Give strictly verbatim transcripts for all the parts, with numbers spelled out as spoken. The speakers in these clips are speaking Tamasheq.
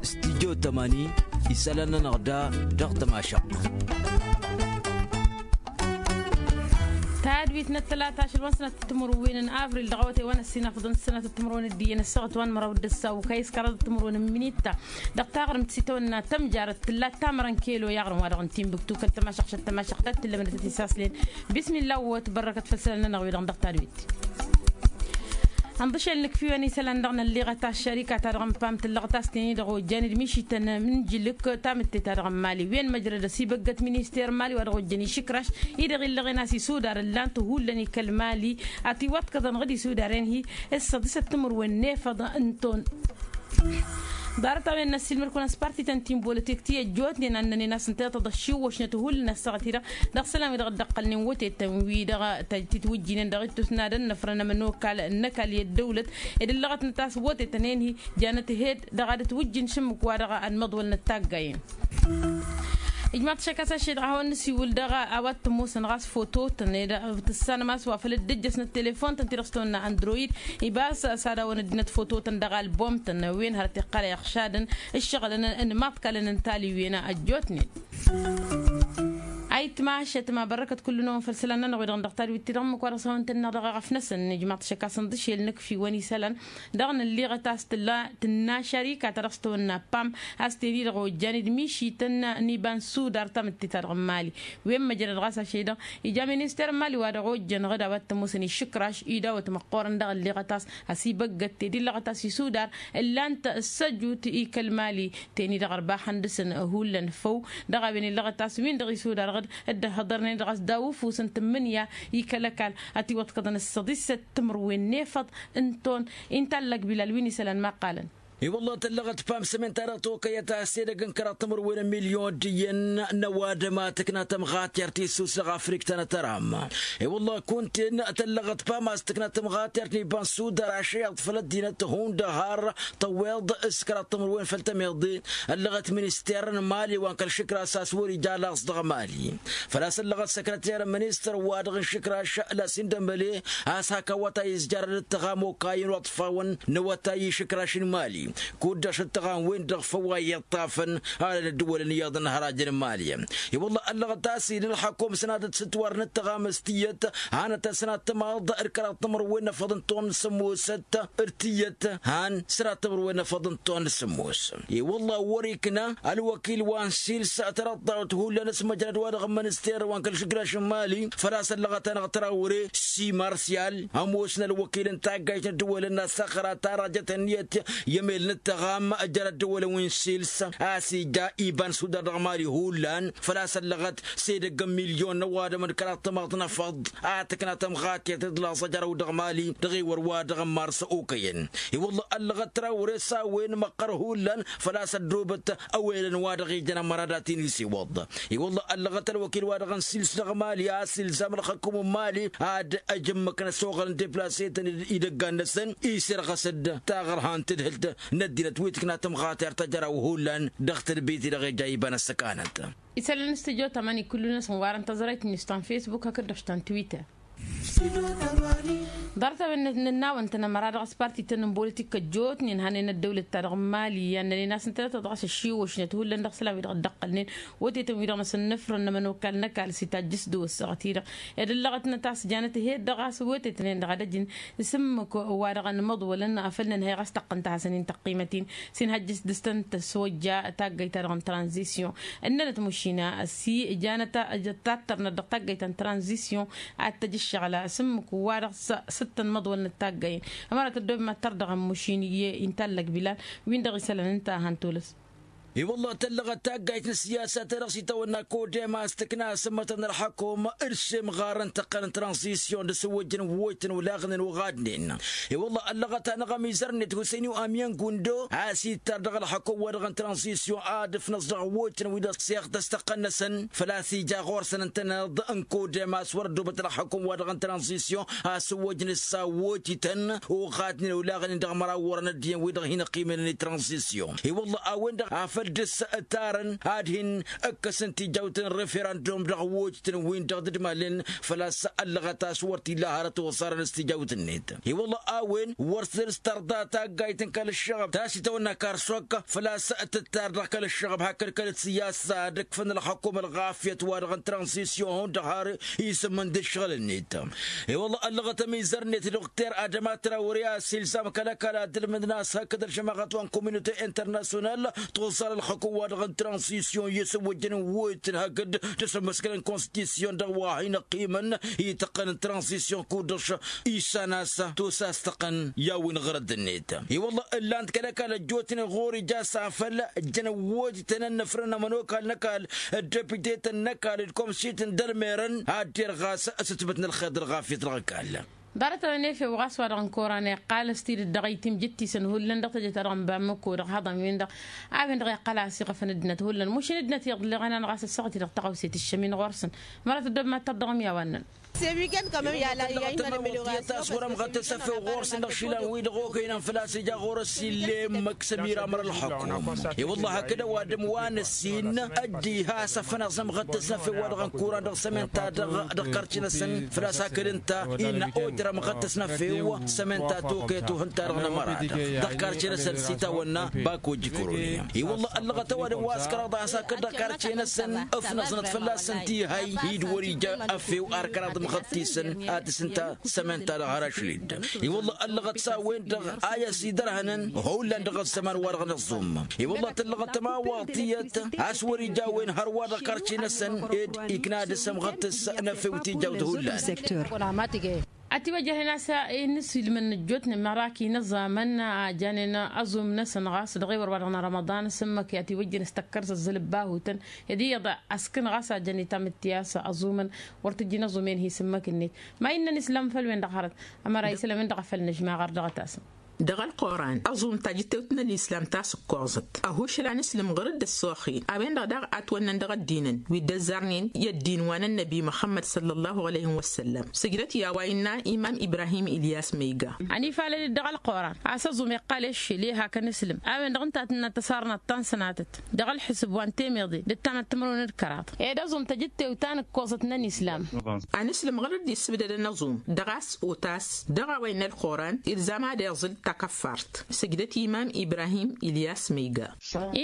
Studyo tămani isălan-nănăɣ da dăɣ-tămašăɣt. Tadwit n-ăttălata ašăl wa n-sănatăt timǝrwen n-avril dăɣ-awătay wa n-ăssinafăḍăn sănatăt timǝrwen d-iyyăn ăssaɣăt wa n-măraw d-ăssaw kayǝskăraḍăt timǝrwen n-minita dăɣ-taɣrǝmt s-itawănna tămjarăt tǝlla tamărăn kelo i-aɣrǝm wa dăɣ-n timbuktu kăl-tămašăɣt šăt tămašăɣt ta t-tǝllămnătăt isaslen. Bismilla wăt bărrăkăt făll-isălan-nănăɣ wi-dăɣ dăɣ-tadwit. Ănḍǝšel nǝkf'-iwăn isălan-dăɣ nălleɣăt aššărika ta dăɣ-n pam tǝllăɣăt a-s teni-dăɣ ojjan d-mišităn n-ǝnjǝlǝk tamǝtte ta dăɣ-n mali wen măjrăd ăsibăggăt minister n-mali wa dăɣ-ojjăn išǝkraš-i-dăɣ illăɣen a-s isudar ǝllan-t hullan ikăl-mali. Ătiwăḍkăḍăn ɣǝd isudaren-hi ǝssăḍisăt timǝrwen n-efăḍ n-ton. Ḍarăt-a-wen n-ăssiilmăd-kăwăn s-partităn ti n-bolătek ti ăjjootnen a ǝnnănen a-s ǝnta iyyăḍ ăššiwwăšnăt hullan ăssaɣăt-i-dăɣ dăɣ-isălan-wi-dăɣ dd-ǝqqălnen wătetăn-wi-dăɣ titwǝjjinen dăɣ-ittus n-ad-ănnăfrăn ămănokal n-ăkall i-ăddăwlăt ed ǝllăɣătnăt a-s wătetăn-en-hi janăt hed dăɣ-ad-ătwǝjjǝn s-ǝmmǝk wa dăɣ-ad-măḍwălnăt taggayen. Ijmaḍ-t šăkk a-s ašăl-i-dăɣ a hawăn-nǝsiwǝl dăɣ-a-wa t-ămoosăn ɣas foto-tăn ed tǝssanăm a-s wa făl dd-ǝjjăsnăt telefon-tăn ti-dăɣ s-tăwănna android. Ibas s-ad-hawăn-ăddinăt foto-tăn dăɣ-album-tăn wen hărăt iqqălăy ăɣšadăn ǝššăɣǝlăn n-imaḍkalăn n-taliwen ăjjootnen. Ayǝtma šătma bărrăkăt kullu-năwăn făll-isălan-nănăɣ wi-dăɣ n-dăɣ tadwit-ti-dăɣ ǝmmǝk wa dăɣ-s hawăn-tănneɣ dăɣ-eɣăf-năsăn ijmaḍ-t šăkk a-s ǝnḍǝšel nǝkf'-iwăn isălan dăɣ-nălliɣăt a-s tǝlla tǝnna šărika ta dăɣ-s tăwănna pam a-s ten-i-dăɣ ojjan d-mišităn n-iba n-sudar tamǝtte ta dăɣ-mali. Wen măjrăd ɣas ašăl-i-dăɣ ija minister n-mali wa dăɣ-ojjăn ɣǝd a-wa t-ămoosăn išǝkraš idawăt măqqoorăn dăɣ-ălliɣăt a-s ăsibăggăt tedillăɣăt a-s isudar ǝllan-t ăssăjut i-kăl-mali. Ten-i-dăɣ ărbaxăn dăɣ-săn hullan făw dăɣ-a-wen illăɣăt a-s win-dăɣ isudar ɣǝd dd-ăhhăḍărnen dăɣ-s daw-ufus n-tǝmmǝnǝya i-kăl-ăkall. Ătiwăḍkăḍăn ǝssăḍisăt timǝrwen n-efăḍ n-ton. Inta ăllăg bilal wi n-isălan ma qqalăn. I-wălla tăllăɣăt pam s-amin-ta-dăɣ tokăyăt a-s edăgg n-kăraḍ timǝrwen n-milyon d-iyyăn n-ăwadǝm a tǝkna tămɣatert i-sus dăɣ-afrik ta n-atăram. I-wălla kunta-en tăllăɣăt pam a-s tǝkna tămɣatert n-iba n-sudar ašăyaḍ făll-ăddinăt hundăhar tăwweḍ s-kăraḍ timǝrwen făll-tămeḍe. Ăllăɣăt minister n-mali wa n-kăl-išǝkras a-s wăr-ija laẓ dăɣ-mali. Făl-a-s ăllăɣăt săkrăter n-ministăr-wa-dăɣ n-išǝkraš la s-indămăle a-s hak awătay ǝzjarăn d-tăɣam okayăn wa ǝḍfawăn n-awătay išǝkraš n-mali. Kud-dăɣ šăt tăɣam-wen-dăɣ făw a iyyăḍ tafăn alăn ăddǝwălăn iyyăḍ n-hărajăn n-mali. I-wălla ăllăɣăt a-s ila ălxăkum s-ănadăt s-ǝtwarăn d-tăɣam s-tiyyăt hanăt-ăsnat tămaḍ d-kăraḍ timǝrwen n-efăḍ n-ton n-sǝmmosăt d-tiyyăt han sănat timǝrwen n-efăḍ n-ton n-sǝmmos. I-wălla wăr-ikna ălwăkil wa n-sils tărăḍḍawt hullan s-măjrăd wa dăɣ-mănǝster wa n-kăl-išǝgraš n-mali. Făl-a-s ăllăɣăt-anăɣ tărawre si marsyal ămoos n-ălwăkil n-taggayt n-ăddǝwălăn n-asăxra tarajăt ănniyăt i-emel n-ǝttăɣam jer-ăddǝwălăn wi n-sils a-s ija iba n-sudar dăɣ-mali hullan. Făl-a-s ăllăɣăt s-edăgg n-milyon n-ăwadǝm d-kăraḍ tămaḍt n-efăḍ a tǝkna tămɣatert d-laẓ ăjrăw dăɣ-mali dăɣ-ewăr wa dăɣ-n mars okăyăn. I-wălla ăllăɣăt trawre s-a-wen măqqăr hullan făl-a-s ăddoobăt ăwelăn wa dăɣ-ijăn ămăra dat-in isiwăḍ. I-wălla ăllăɣăt ălwăkil wa dăɣ-n sils dăɣ-mali a-s ilzam ălxăkum n-mali ad-ăj ǝmmǝk n-ăsoɣăl n-deplasetăn idăggan-năsăn isirɣăs-dd taɣărha n-tadhǝlt n-ăddinăt wi tǝkna tămɣatert ăjrăw hullan dăɣ-tadbit-i-dăɣ ija iba n-ăssăkanăt. Isălan n-studyo tămani kullu-năsăn warăn tăẓrayt-net ta n-facebook hakd-dăɣ ta n-twitter. Ḍarăt-a-wen nǝnnawăn-tăn ămăra dăɣ-s parti-tăn n-bolătik ăjjootnen hanen ăddăwlăt-ta-dăɣ n-mali i-ad-nănen a-s ǝntănăt dăɣ-s ăššiwăšnăt hullan dăɣ-isălan-wi-dăɣ dd-ăqqălnen wătetăn-wi-dăɣ n-asǝnnǝfrăn n-ămănokal n-ăkall s-itajjǝs d-ăwăssaɣăt-i-dăɣ ed ǝllăɣătnăt a-s janăt hed-dăɣ a-s wătetăn-en-dăɣ ad-ăjǝn s-ǝmmǝk wa-dăɣ ănmăḍwălăn a făl nǝnhăy ɣas taqqăn tăhasăn-in tăqqiimăt-in s-inhăjjǝs dăɣ-s tăn-tăswăjja taggayt-ta-dăɣ n-tranzisyon. Ǝnnănăt mušina s-ijanăt tattărnăt dăɣ-taggayt ta n-tranzisyon ad-tăj ǝššăɣǝl a-s ǝmmǝk wa-dăɣ s-ǝttăn măḍwălnăt taggayen. Ămăra tăddoobem ad-tărdăɣăm mušin iyyăn intallăg bilal win-dăɣ isălan ǝnta a han-tolăs. I-wălla tăllăɣăt taggayt n-ăssiyasa ta dăɣ-s itawănna kodem a-s tǝkna asǝmmătăn ălxăkum d-semɣar n-tăqqăn n-tranzisyon d-asǝwwăjjăn ǝwwăjtăn olaɣnen oɣadnen. I-wălla ăllăɣăt-anăɣ ămizăr-net husăyni u-amyăn gundo a-s ittăr dăɣ-ălxăkum wa dăɣ-n tranzisyon ad-ǝfnăẓ dăɣ-ăwwăjtăn wi-dăɣ s-iɣtăs tăqqăn-năsăn. Făl-a-s ija ɣur-săn ǝntăneḍ n-kodem a-s wăr ăddoobăt ălxăkum wa dăɣ-n tranzisyon a-s ǝwwăjnen s-awwăjtăn oɣadnen olaɣnen dăɣ-măraw wărăn ăddin wi-dăɣ hin-ăqqimălăn i-tranzisyon. I-wălla a-wen-dăɣ a făl dăr-s tarăn ad-hin-ǝkkăsăn tijawt n-referandum dăɣ-wojtăn-win-dăɣ d-dd-malăn. Făl-a-s ăllăɣăt a-s wăr t-illa hărăt oẓarăn s-tijawt-net. I-wălla a-wen wăr s-dăr-s tărḍa taggayt n-kăl-ǝššăɣăb ta s-itawănna karsok făl-a-s tǝttar dăɣ-kăl-ǝššăɣăb hakd kăl-ǝssǝyasa dăgg-făn ălxăkum ălɣafyăt wa-dăɣ n-tranzisyon hundăɣ har isǝmmǝn d-ǝššăɣǝl-net. I-wălla ăllăɣăt ămizăr-net dukter adăma trawăre a-s ilzam kăl-ăkall ad-ǝlmǝdăn a-s hakd ălžămaɣăt wa n-kominute internasyonal toẓẓal ălxăkum wa-dăɣ n-tranzisyon i-sǝwwǝjjăn n-wăyt n-hakd d-asǝmmǝskăl n-konstitisyon dăɣ-wa hin-ăqqimăn ităqqăn n-tranzisyon kud-dăɣ išan a-s tusastăqăn i-a-wen ɣărădd-net. I-wălla ǝllan-t kăl-ăkall ăjjootnen ɣur-ija s-afăl ǝjjăn ăwwojtăn ănnăfrăn n-ămănokal n-ăkall ăddepite-tăn n-ăkall d-komsit n-dălmerăn ad-derɣas s-ǝtmǝt n-ălxer d-ălɣafyăt dăɣ-ăkall. Ḍarăt-anăn efew ɣas wa-dăɣ n-koran iqqal s-tidǝt dăɣ-itimjǝt-tisăn hullan dăɣ-teje-ta-dăɣ n-bammăko dăɣ-haḍăn-win-dăɣ a-wen-dăɣ iqqal a-s iɣăfăn ăddinăt hullan mušin ăddinăt iyyăḍ ǝlleɣăn-anăɣ a-s ăssaɣăt-i-dăɣ tăɣawse tǝššăm-in ɣur-săn. Mărăt ăddob mad-tărdăɣăm i-a-wa ǝnnăn. Sewikăn kămăm i-ala i-a imănămălăɣ a-s. Wăr-ămɣăttăs efew ɣur-săn dăɣ-išilan-wi-dăɣ okăynăn făl-a-s ija ɣur-s ill'-e ǝmmǝk sămira măra ălxukum. I-wălla hakd ăwadǝm wa n-ăssin ăddiha a-s ăfănăẓ ămɣăttăs n-efew wa dăɣ-n kuran dăɣ-sămenta dăɣ-karce-năsăn. Făl-a-s hakd ǝnta innă ojăr ămɣăttăs n-efew sămenta tokăyăt uhǝnta-dăɣ n-ămăra-dăɣ dăɣ-karce-năsăn s-itawănna bako jikroni. I-wălla ăllăɣăt ăwadǝm wa s-kăraḍ a-s hakd dăɣ-karce-năsăn ǝfnăẓnăt fălla-săn tihăy-i d-wăr-ija efew ar kăraḍ ǝmɣăttăsăn ad-dăɣ-s ǝnta sămenta dăɣ-hărăšlid. I-wălla ăllăɣăt s-a-wen-dăɣ a i-ăsidărhănăn hullan dăɣ-ăzzăman-wa-dăɣ n-ăẓẓum. I-wălla tǝllăɣăt tămawaḍt tiyyăt a-s wăr-ija a-wen hărwa dăɣ-karce-năsăn ed ikna dăɣ-s ămɣăttăs n-efew tijawt hullan. Ătiwăjjăhnen a-s inǝsilmăn ăjjootnen mărak inăẓamăn a janen aẓum-năsăn ɣas dăɣ-ewăr wa-dăɣ n-rămăḍan s-ǝmmǝk i-ătiwăjjăn s-tăkkăr s-ăzzăl ăbbahutăn. Ed iyyăḍ ăskǝn ɣas a jăn itamǝtte a-s aẓumăn wăr t-ǝjjǝn aẓum-en hi-s ǝmmǝk-net. Ma innăn islam făll-wen-dăɣ hărăt ămăra islam-in-dăɣ a făl nǝžmaɣăr dăɣ-tasăm. Dăɣ-ălquran ăẓum tajǝttewt n-ălislam ta s-ǝkkoẓăt ăhušăl a nǝslǝm ɣur-dd ăssoxin a-wen-dăɣ daɣ a ătwănnăn dăɣ-ăddinăn wi dd-ăzzarnen i-ăddin wa n-ănnăbi muxămmăd săllăllahu alăyhi wăssăllăm. Sǝjdăt i-a-wa innă imam ibrahim ilyas măyga. Ănifalăl-dd dăɣ-ălquran a-s ăẓum iqqal i-ăššel i-hak ănǝslǝm a-wen-dăɣ ǝnta a tǝnnă tăsarnăt ta n-sănatăt dăɣ-ălḥǝsǝb wa n-temeḍe d-ǝttamăt timǝrwen d-kăraḍ. Ed ăẓum tăjǝttewt ta n-ǝkkoẓăt n-ănislam. Anǝslǝm ɣur-dd issǝbdădăn aẓum dăɣ-a-s otas dăɣ-a-wa innă ălquran ilzam ad-iẓǝl takăffart. Sǝjdăt imam ibrahim ilyas măyga.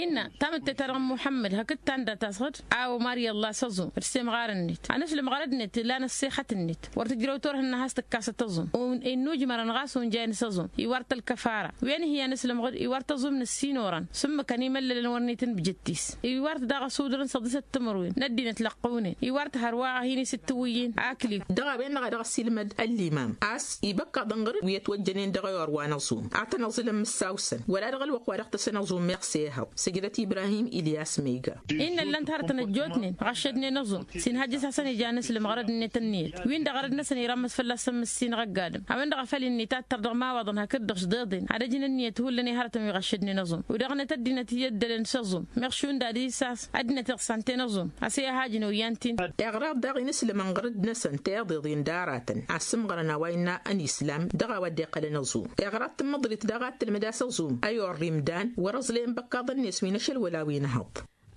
Innă tamǝtte-ta-dăɣ n-muḥămmăd hakd ta n-dat-asɣǝd a omar i-ăllah s-aẓum d-semɣar-net anǝslǝm ɣărăd-net lan ăssexăt-net wăr tǝjrăw turhǝnna has-tǝkkasăt aẓum. Innujmărăn ɣas unjayăn s-aẓum iwar-t ălkăfara wen hi-anǝslǝm ɣǝd iwar-t aẓum n-ǝssin oran s-ǝmmǝkăn imăllălăn wăr n-itǝnbǝjǝt-t-s iwar-t daɣ ăsudrăn săḍisăt timǝrwen n-ăddinăt lăqqăwnen iwar-t hărwa a hin-isǝttǝwǝyyen akli. Dăɣ-a-wen-dăɣ a dăɣ-ăssiilmăd ăllimam a-s ibăkkaḍăn ɣur-dd wi ătwăjjănen dăɣ-ewăr wa n-aẓum ad-tăn-ăẓǝlăn mǝssaw-săn wăla dăɣ-ălwăqq wa dăɣ-tăsăn aẓum meɣ s-ehăḍ. Sǝjdăt ibrahim ilyas măyga. Innă ăllăn-t hărătăn ăjjootnen ɣăššădnen aẓum s-inhăjjăs hasăn-ija anǝslǝm ɣărăd-net ǝnniyăt win-dăɣ ɣărăd-năsăn irămmăs fălla-săn mǝssin ɣăgg-adǝm a-wen-dăɣ a făl innă itattăr dăɣ-imawaḍăn hakd-dăɣ s-deḍen ad-ăjǝn ǝnniyăt hullan i-hărătăn wi ɣăššădnen aẓum. Wi-dăɣ-net ăddinăt i-ăddălăn s-aẓum meɣ šund ad-isas ăddinăt iɣsan-ten aẓum a-s i-ad-hajǝn oyyăn-t-in. Iɣraḍ daɣ inǝslǝmăn ɣǝr-dd-năsăn tiḍeḍen d-aratăn a ǝssǝmɣărăn a-wa innă ănislam dăɣ-a-wa dd-iqqălăn aẓum. Iɣraḍ tǝmmǝḍrit daɣ ad-tǝlmǝd a-s aẓum ăyorr imdan wăr-ăẓlăyăn băkkaḍăn-net wi n-ašăl wăla wi n-ehăḍ.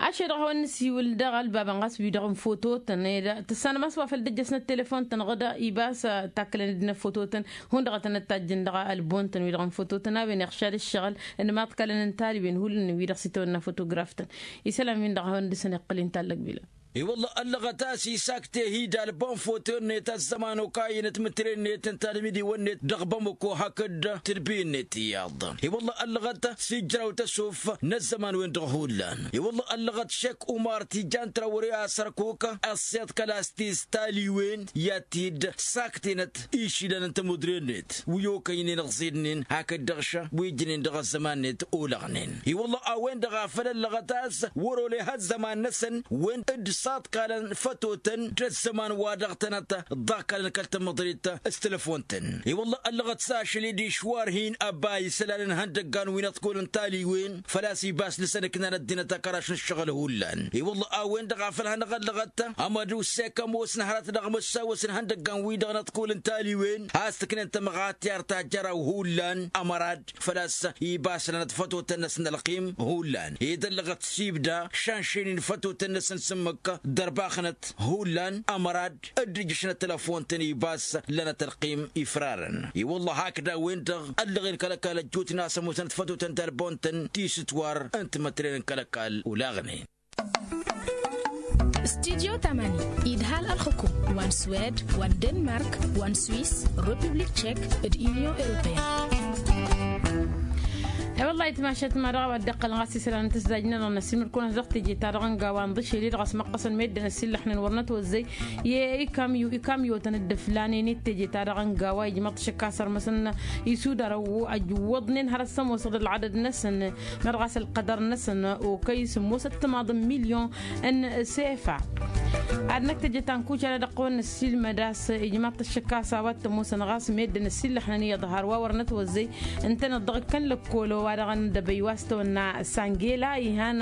Ašăl-dăɣ a hawăn-nǝsiwǝl dăɣ-ălbabăn ɣas wi-dăɣ n-fototăn ed tǝssanăm a-s wa făl dd-ăjjăsnăt telefon-tăn ɣǝd ibas takkălăn dd-năfototăn hundăɣătăn ăttajjăn dăɣ-ălbon-tăn wi-dăɣ n-fototăn a-wen iɣšad ǝššăɣǝl n-imaḍkălăn n-taliwen hullan wi-dăɣ s-itawănna fotograf-tăn. Isălan-win-dăɣ a hawăn-dăr-săn iqqăl-in tallăg bila. I-wălla ăllăɣăt a-s isakte hi-dd alba n-foto-net ăzzăman okayăn timǝtre-net n-tadmidiwăn-net dăɣ-bamăko hakd tǝdbiyen-net iyyăḍ. I-wălla ăllăɣăt s-ijraw tăsuf n-ăzzăman-wen-dăɣ hullan. I-wălla ăllăɣăt šek umar tijan trawăre a sărkuk ăṣṣeḍ kăl-a-s tistaliwen i-ad-t-dd-saktenăt išilan n-tămudre-net wi okăynen ăẓẓidnen hakd-dăɣ ša wi ǝjnen dăɣ-ăzzăman-net olăɣnen. I-wălla a-wen-dăɣ a făl ăllăɣăt a-s wăr-ole ha ăzzăman-năsăn wen-dd ăṭṭaḍkalăn fătotăn d-ăzzăman wa dăɣ-tănăt ḍakalăn kăl-tamăḍrit s-telăfon-tăn. I-wălla ăllăɣăt s-ašăl-i d-išwar hin-ăbay isălan n-ihăndăggan wi n-ăḍkul n-taliwen făl-a-s ibas dăr-săn ǝknan ăddinăt akăraš n-ǝššăɣǝl hullan. I-wălla a-wen-dăɣ a făl hanăɣ-ăllăɣăt amădussek ămoos n-hărăt dăɣ-măssawăs n-ihăndăggan-wi-dăɣ n-ăḍkul n-taliwen has-tǝknen tămɣatiyar tajjăraw hullan ămărad făl-a-s ibas lănăt fătotăn-năsăn ălqim hullan ed ăllăɣăt s-ibda šanšăynen fătotăn-năsăn s-ǝmmǝk dăr-baxnăt hullan ămărad dd-ǝjjǝšnăt telăfon-tăn ibas lănăt ălqim ifrarăn. I-wălla hakd a-wen-dăɣ ăllăɣen kăl-ăkall ăjjootnen a-s ămoosnăt fătotăn d-ălbon-tăn ti s-ǝtwar n-timǝtren n-kăl-ăkall olaɣnen. Studyo tamani idhal ălxǝkum wa n-swed wa n-denmark wa n-swiss, republik tšek d-inyon europeyăn. E-wălla-hi timašat ma dăɣ-a-wa dd-iqqălăn ɣas isălan n-tǝzzajnănăɣ n-asimǝl-kăwăn-as dăɣ-teje-ta-dăɣ n-gawa n-iḍǝšel-i-dăɣ ăsmăqqăsăn meddǝn ăsillăxnen wăr nătwăzzăy i-ikamyotăn dd-ǝflanen i-teje-ta-dăɣ n-gawa ijmăḍ-t ašăk a-s ărmăsăn isudar ăwwăḍnen hărăt s-ămoosăḍ ălɣadăd-năsăn meɣ ɣas ălqădăr-năsăn okăy sǝmmosăt timaḍ n-milyon n-sefa. Ad-năkk teje ta n-kucala dăɣ-tăwăn-năssilmăd a-s ijmăḍ-t ašăk a-s a-wa t-ămoosăn ɣas meddǝn ăsillăxnen iyyăḍ har wa wăr nătwăzzăy ǝntăneḍ dăɣ-ikkăn lăkkol wa dăɣ-nǝdăbăy wa s-tăwănna sangela ihan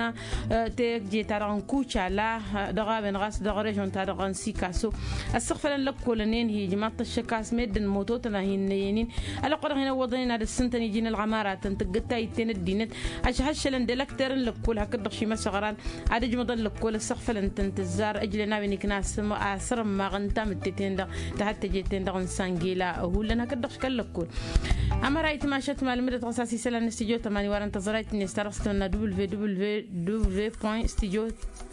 teje-ta-dăɣ n-kucala dăɣ-a-wen ɣas dăɣ-režon-ta-dăɣ n-sikaso ăssăɣfălăn lăkkolăn-en hi-ijmaḍ-t ăššăk a-s meddǝn mototăn a hin-năyănin. Ălwăqq-wa-dăɣ hin-ăwwăḍăn-in ad-ǝssǝntăn iji n-ălɣămaratăn tǝggǝd tayǝtte n-ăddinăt ăšhăššălăn d-elăkter n-lăkkol hakd-dăɣ šimăsăɣran ad-ǝjmăḍăn lăkkol ăssăɣfălăn-tăn tǝzzar ǝjlen a-wen ikna asǝrǝmmaɣ n-tamǝtte-ten-dăɣ tahătteje-ten-dăɣ n-sangela hullan hakd-dăɣ škăl-lăkkol. Ămăra itmašăt malmǝdăt ɣas a-s isălan n-studyo tămani warăn tăẓrayt-net ta dăɣ-s tăwănna www point studyo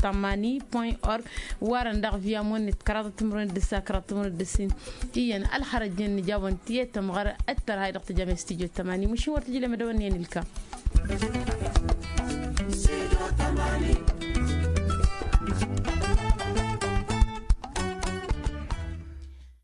tămani point org. Warăn daɣ via monnet kăraḍăt timǝrwen d-ǝssa kăraḍăt timǝrwen d-ǝssin iyyăn ălxărăjnen nǝjawăn tiyyăt tămɣăr ăttărhay dăɣ-tǝjam i-studyo tămani măšin wăr tǝjlem ad-dăwănni ănilkam.